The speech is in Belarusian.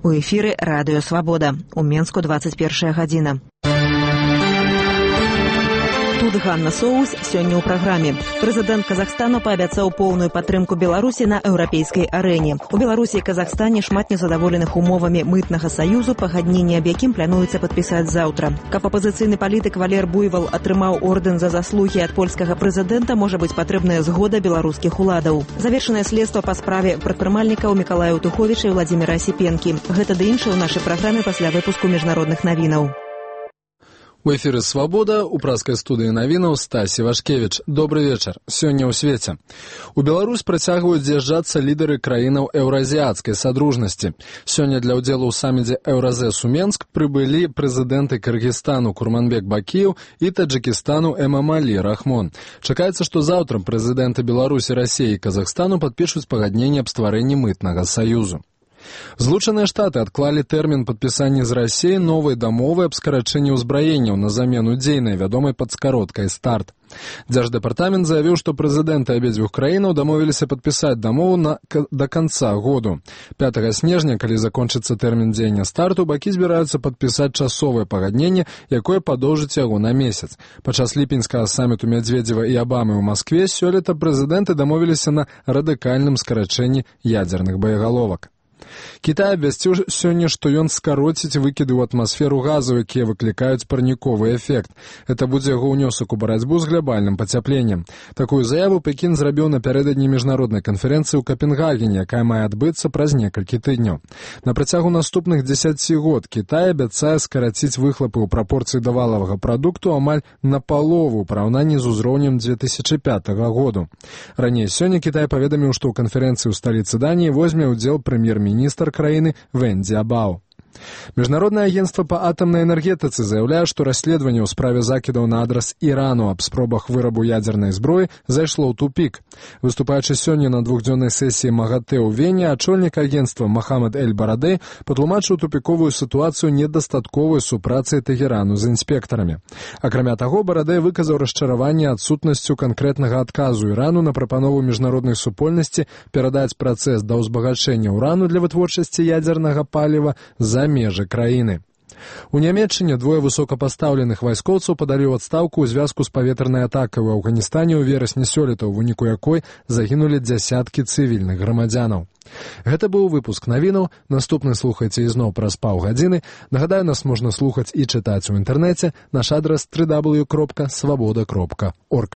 У эфіры радыё «Свабода». У Менску 21 гадзіна. Тут Ганна Соус сёння ў праграме. Прэзідэнт Казахстану паабяцаў поўную падтрымку Беларусі на еўрапейскай арэне. У Беларусі і Казахстане шмат незадаволеных умовамі мытнага саюзу, пагадненне аб якім плануецца падпісаць заўтра. Каб апазіцыйны палітык Валер Буйвал атрымаў ордэн за заслугі ад польскага прэзідэнта, можа быць патрэбная згода беларускіх уладаў. Завершанае следства па справе прадпрымальнікаў Мікалая Туховіча і Владзіміра Асіпенкі. Гэта ды іншае ў нашай праграме пасля выпуску міжнародных навінаў. У эфіры «Свабода» у праскай студыі навінаў Стасі Вашкевіч. Добры вечар. Сёння ў свеце. У Беларусь працягваюць з'язджацца лідары краінаў еўразіяцкай садружнасці. Сёння для ўдзелу ў саміце «Еўразэс» у Менск прыбылі прэзідэнты Кыргызстану Курманбек Бакиев і Таджикистану Эмомали Рахмон. Чакаецца, што заўтра прэзідэнты Беларусі, Расіі і Казахстану падпішуць пагадненне аб стварэнні мытнага саюзу. Злучаныя Штаты адклалі тэрмін падпісання з Расіяй новай дамовы аб скарачэнні ўзбраенняў на замену дзейнай, вядомай пад скароткай «Старт». Дзярждэпартамент заявіў, што прэзідэнты абедзвюх краінаў дамовіліся падпісаць дамову да канца году. 5 снежня, калі закончыцца тэрмін дзеяння «Старту», бакі збіраюцца падпісаць часовае пагадненне, якое падоўжыць яго на месяц. Падчас ліпеньскага саміту Медведзева і Абамы ў Маскве сёлета прэзідэнты дамовіліся на радыкальным скарачэнні ядзерных боегаловак. Кітай абвясціў сёння, што ён скароціць выкіды ў атмасферу газаў, якія выклікаюць парніковы эфект. Гэта будзе яго ўнёсак у барацьбу з глобальным пацяпленнем. Такую заяву Пекін зрабіў напярэдадні міжнароднай канферэнцыі ў Капенгагене, якая мае адбыцца праз некалькі тыдняў. На працягу наступных 10 год Кітай абяцае скараціць выхлапы ў прапорцыі да валавага прадукту амаль напалову ў параўнанні з узроўнем 2005 году. Раней сёння Кітай паведаміў, што ў канферэнцыі ў сталіцы Даніі возьме ўдзел прэм'ер-міністр краіны Вэн Дзябао. Міжнароднае агенцтва па атамнай энергетыцы заяўляе, што расследаванне ў справе закідаў на адрас Ірану аб спробах вырабу ядзернай зброі зайшло ў тупік. Выступаючы сёння на двухдзённай сесіі МАГАТЭ ў Вене, ачольнік агенцтва Мохаммед Эль-Барадэй патлумачыў тупіковую сітуацыю недастатковай супрацы Тэгерану з інспектарамі. Акрамя таго, Барадэй выказаў расчараванне адсутнасцю канкрэтнага адказу Ірану на прапанову міжнароднай супольнасці перадаць працэс да ўзбагачэння ўрану для вытворчасці ядзернага паліва за межы краіны. У Нямецчыне двое высокапастаўленых вайскоўцаў падалі ў адстаўку ў звязку з паветранай атакай у Афганістане ў верасні сёлета, у выніку якой загінулі дзясяткі цывільных грамадзянаў. Гэта быў выпуск навінаў. Наступны слухайце ізноў праз паўгадзіны. Нагадаю, нас можна слухаць і чытаць у інтэрнэце. Наш адрас www.swaboda.org.